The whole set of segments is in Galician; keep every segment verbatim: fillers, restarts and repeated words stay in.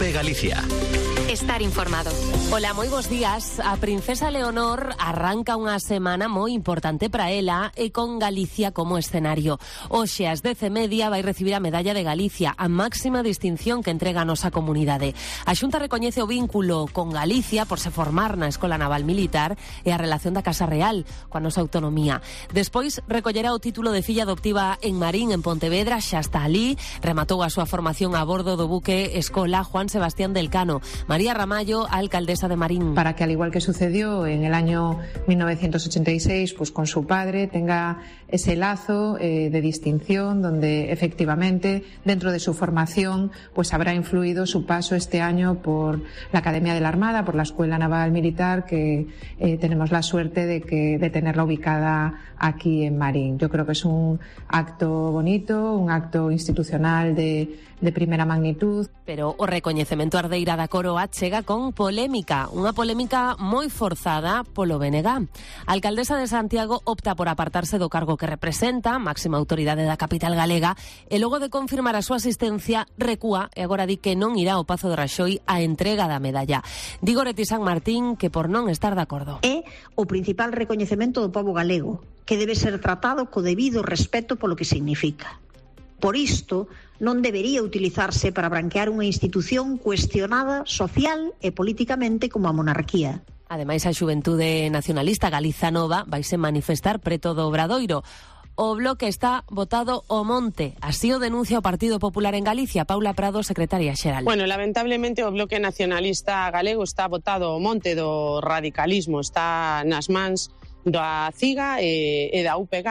Cope Galicia. Estar informado. Ola, moi bons días. A princesa Leonor arranca unha semana moi importante para ela e con Galicia como escenario. Hoxe ás dez e media vai recibir a Medalla de Galicia, a máxima distinción que entrega a nosa comunidade. A Xunta recoñece o vínculo con Galicia por se formar na Escola Naval Militar e a relación da Casa Real coa nosa autonomía. Despois recollerá o título de filla adoptiva en Marín, en Pontevedra, xa está ali. Rematou a súa formación a bordo do buque Escola Juan Sebastián del Cano. María Ramallo, alcaldesa de Marín. Para que, al igual que sucedió en el año mil novecientos ochenta y seis, pues con su padre tenga ese lazo eh, de distinción donde efectivamente dentro de su formación pues habrá influido su paso este año por la Academia de la Armada, por la Escuela Naval Militar, que eh, tenemos la suerte de, que, de tenerla ubicada aquí en Marín. Yo creo que es un acto bonito, un acto institucional de, de primera magnitud. Pero o recoñecemento ardeira da Coroa chega con polémica, unha polémica moi forzada polo B N G. A alcaldesa de Santiago opta por apartarse do cargo que representa, máxima autoridade da capital galega, e logo de confirmar a súa asistencia, recúa e agora di que non irá ao Pazo de Raxoi a entrega da medalla. Di Goretti San Martín que por non estar de acordo. É o principal recoñecemento do pobo galego, que debe ser tratado co debido respeto polo que significa. Por isto, non debería utilizarse para branquear unha institución cuestionada social e políticamente como a monarquía. Ademais, a Xuventude Nacionalista Galiza Nova vaise manifestar preto do Obradoiro. O bloque está botado ao monte. Así o denuncia o Partido Popular en Galicia. Paula Prado, secretaria xeral. Bueno, lamentablemente o bloque nacionalista galego está botado ao monte do radicalismo. Está nas mans da CIGA e, e da U P G.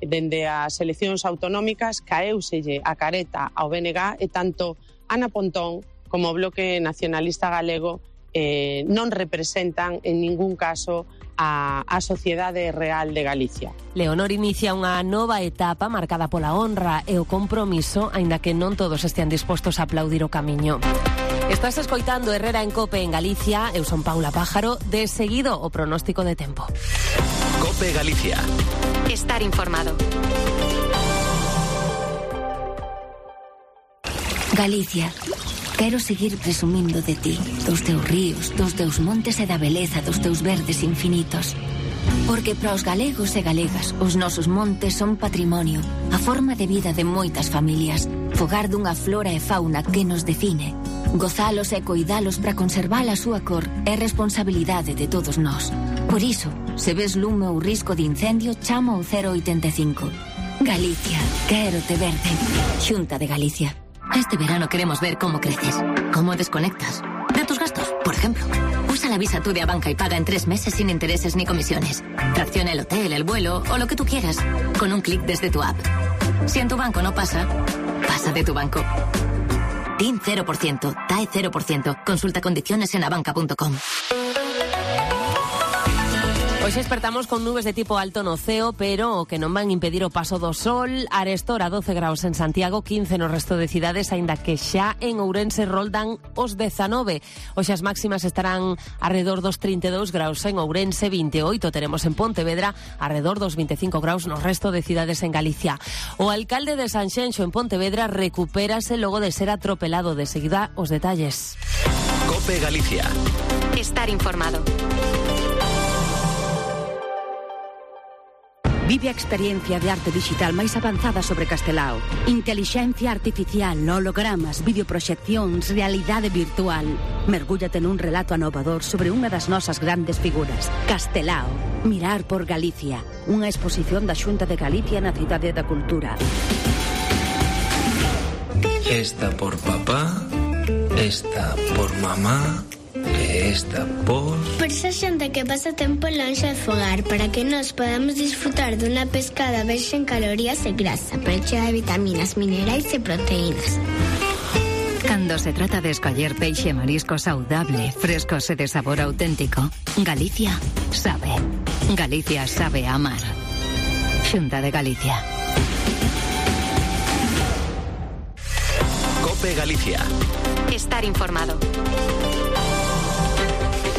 Dende as eleccións autonómicas caeuselle a careta ao B N G e tanto Ana Pontón como o bloque nacionalista galego eh, non representan en ningún caso a, a sociedade real de Galicia. Leonor inicia unha nova etapa marcada pola honra e o compromiso, aínda que non todos estean dispostos a aplaudir o camiño. Estás escoitando Herrera en Cope en Galicia. Eu son Paula Pájaro. De seguido o pronóstico de tempo. Cope Galicia. Estar informado. Galicia, quero seguir presumindo de ti, dos teus ríos, dos teus montes e da beleza dos teus verdes infinitos. Porque para os galegos e galegas, os nosos montes son patrimonio, a forma de vida de moitas familias, fogar dunha flora e fauna que nos define. Gozalos e coidalos para conservar a súa cor é responsabilidade de todos nós. Por iso, se ves lume ou risco de incendio, chama ao cero oitenta e cinco. Galicia, quero te verde. Xunta de Galicia. Este verano queremos ver cómo creces, cómo desconectas de tus gastos, por ejemplo. Usa la Visa Tú de Abanca y paga en tres meses sin intereses ni comisiones. Fracciona el hotel, el vuelo o lo que tú quieras con un clic desde tu app. Si en tu banco no pasa, pasa de tu banco. T I N cero por ciento, T A E cero por ciento. Consulta condiciones en abanca punto com. Hoxe despertamos con nubes de tipo alto no ceo, pero o que non van impedir o paso do sol. Arestora doce graus en Santiago, quince no resto de cidades, aínda que xa en Ourense roldan os dezanove. Hoxe as máximas estarán arredor dos trinta e dous graus en Ourense, vinte e oito teremos en Pontevedra, arredor dos vinte e cinco graus no resto de cidades en Galicia. O alcalde de Sanxenxo en Pontevedra recupérase logo de ser atropelado. De seguida os detalles. Cope Galicia. Estar informado. Vive a experiencia de arte digital máis avanzada sobre Castelao. Intelixencia artificial, hologramas, videoproxeccións, realidade virtual. Mergúllate nun relato anovador sobre unha das nosas grandes figuras. Castelao. Mirar por Galicia. Unha exposición da Xunta de Galicia na Cidade da Cultura. Esta por papá, esta por mamá, e esta por... Por esa xente que pasa tempo lonxe de fogar, para que nos podamos disfrutar dunha pescada verxe en calorías e grasa, pero chea de vitaminas, minerais e proteínas. Cando se trata de escoller peixe e marisco saudable, frescos e de sabor auténtico, Galicia sabe. Galicia sabe amar. Xunta de Galicia. Cope Galicia. Estar informado.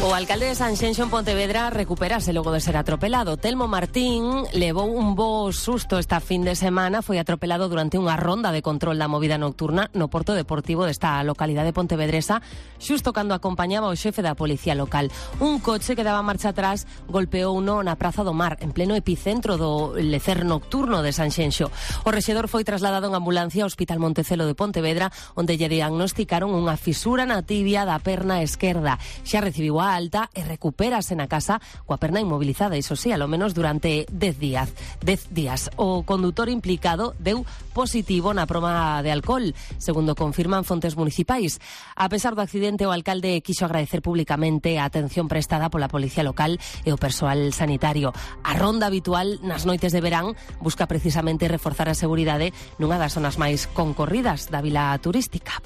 O alcalde de Sanxenxo en Pontevedra recuperase logo de ser atropelado. Telmo Martín levou un bo susto esta fin de semana. Foi atropelado durante unha ronda de control da movida nocturna no porto deportivo desta localidade pontevedresa, xusto cando acompañaba o xefe da policía local. Un coche que daba marcha atrás golpeou uno na Praza do Mar, en pleno epicentro do lecer nocturno de Sanxenxo. O rexedor foi trasladado en ambulancia ao Hospital Montecelo de Pontevedra, onde lle diagnosticaron unha fisura na tibia da perna esquerda. Xa recibiu a alta e recupérase na casa coa perna inmobilizada, iso sí, alo menos durante dez días. dez días. O condutor implicado deu positivo na proba de alcohol, segundo confirman fontes municipais. A pesar do accidente, o alcalde quixo agradecer públicamente a atención prestada pola policía local e o persoal sanitario. A ronda habitual nas noites de verán busca precisamente reforzar a seguridade nunha das zonas máis concorridas da vila turística.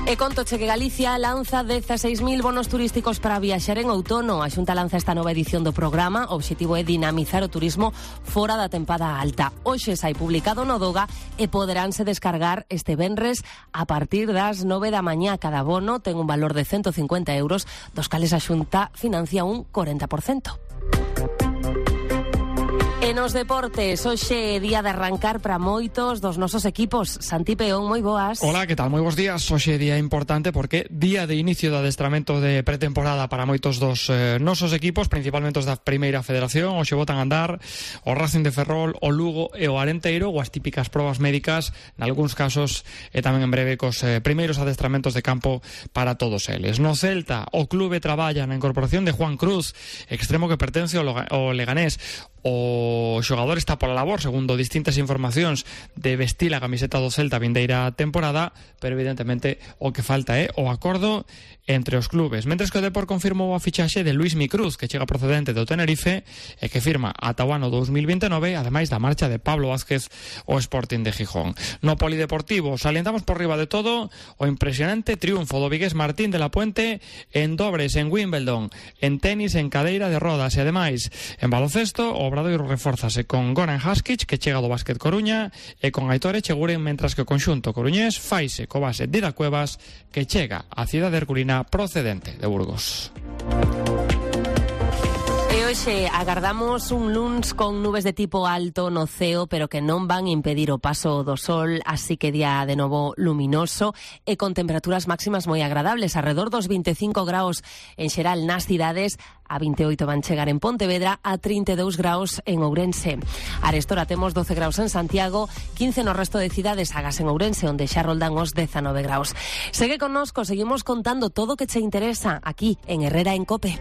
E contoche que Galicia lanza dezaseis mil bonos turísticos para viaxar en outono. A Xunta lanza esta nova edición do programa. O obxectivo é dinamizar o turismo fora da tempada alta. Hoxe sai publicado no Doga e poderánse descargar este venres a partir das nove da mañá. Cada bono ten un valor de ciento cincuenta euros, dos cales a Xunta financia un corenta por cento. E nos deportes, hoxe é día de arrancar para moitos dos nosos equipos. Santi Peón, moi boas. Hola, que tal? Moi bons días. Hoxe é día importante porque día de inicio do adestramento de pretemporada para moitos dos eh, nosos equipos, principalmente os da Primeira Federación. Hoxe botan a andar o Racing de Ferrol, o Lugo e o Arenteiro, ou as típicas probas médicas, nalgúns casos, e tamén en breve cos eh, primeiros adestramentos de campo para todos eles. No Celta, o clube traballa na incorporación de Juan Cruz, extremo que pertence ao Leganés. O xogador está pola labor, segundo distintas informacións, de vestir a camiseta do Celta vindeira temporada, pero evidentemente o que falta é o acordo entre os clubes. Mentres que o Depor confirmou a fichaxe de Luis Micruz, que chega procedente do Tenerife e que firma ata o ano dous mil vintenove, ademais da marcha de Pablo Vázquez ao Sporting de Gijón. No polideportivo, salientamos por riba de todo o impresionante triunfo do vigués Martín de la Puente en dobres en Wimbledon, en tenis en cadeira de rodas e ademais en baloncesto o Obradoiro refórzase con Goran Haskic, que chega do Básquet Coruña, e con Aitor Echeguren, mentras que o conxunto coruñés faise co base Dida Cuevas, que chega á cidade herculina procedente de Burgos. E hoxe agardamos un luns con nubes de tipo alto no ceo, pero que non van impedir o paso do sol, así que día de novo luminoso e con temperaturas máximas moi agradables, alrededor dos veinticinco graus en xeral nas cidades, a veintioito van chegar en Pontevedra, a trinta e dous graus en Ourense. Arestora temos doce graus en Santiago, quince no resto de cidades, agás en Ourense, onde xa roldan os dezanove graus. Segue connosco, seguimos contando todo o que che interesa aquí en Herrera en Cope.